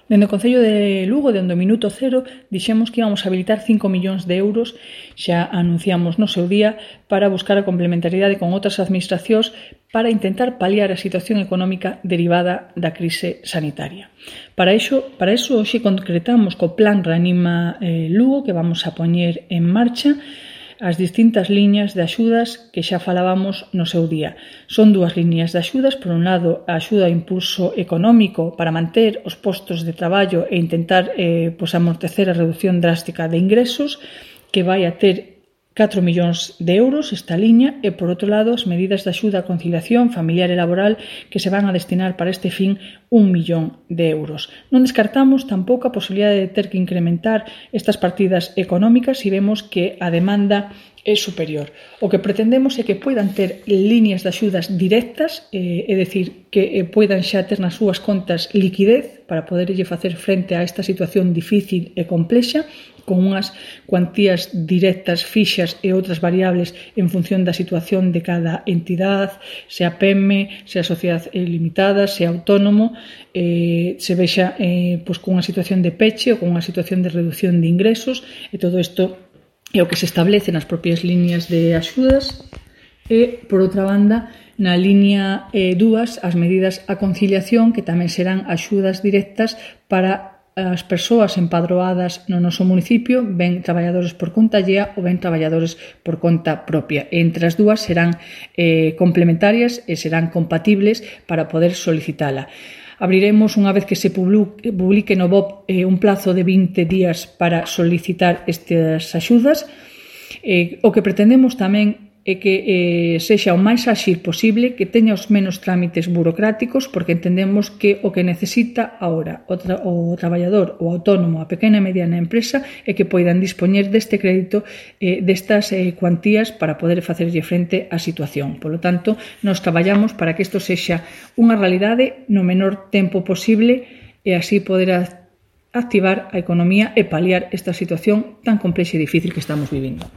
Dende o Concello de Lugo, dende o minuto cero, dixemos que íbamos a habilitar 5 millóns de euros, xa anunciamos no seu día, para buscar a complementariedade con outras administracións para intentar paliar a situación económica derivada da crise sanitaria. Para iso, hoxe concretamos co Plan Reanima Lugo, que vamos a poñer en marcha, as distintas liñas de axudas que xa falábamos no seu día. Son dúas liñas de axudas, por un lado a axuda a impulso económico para manter os postos de traballo e intentar amortecer a reducción drástica de ingresos, que vai a ter 4 millóns de euros esta liña, e por outro lado as medidas de axuda a conciliación familiar e laboral que se van a destinar para este fin 1 millón de euros. Non descartamos tampouco a posibilidade de ter que incrementar estas partidas económicas se vemos que a demanda é superior. O que pretendemos é que poidan ter líneas de axudas directas, é dicir, que poidan xa ter nas súas contas liquidez para poderlle facer frente a esta situación difícil e complexa, con unhas cuantías directas fixas e outras variables en función da situación de cada entidade, sea PEME, sea sociedade limitada, sea autónomo, se vexa con unha situación de peche ou con unha situación de reducción de ingresos, e todo isto é o que se establece nas propias líneas de axudas. E, por outra banda, na liña 2, as medidas a conciliación, que tamén serán axudas directas para as persoas empadroadas no noso municipio, ben traballadores por conta allea ou ben traballadores por conta propia. Entre as dúas serán complementarias e serán compatibles para poder solicitala. Abriremos, unha vez que se publique no BOP, un plazo de 20 días para solicitar estas axudas. O que pretendemos tamén é que sexa o máis áxil posible, que teña os menos trámites burocráticos, porque entendemos que o que necesita agora o traballador, o autónomo, a pequena e mediana empresa, é que poidan dispoñer deste crédito, destas cuantías para poder facerlle frente á situación. Por lo tanto, nos traballamos para que isto sexa unha realidade no menor tempo posible e así poder activar a economía e paliar esta situación tan complexa e difícil que estamos vivindo.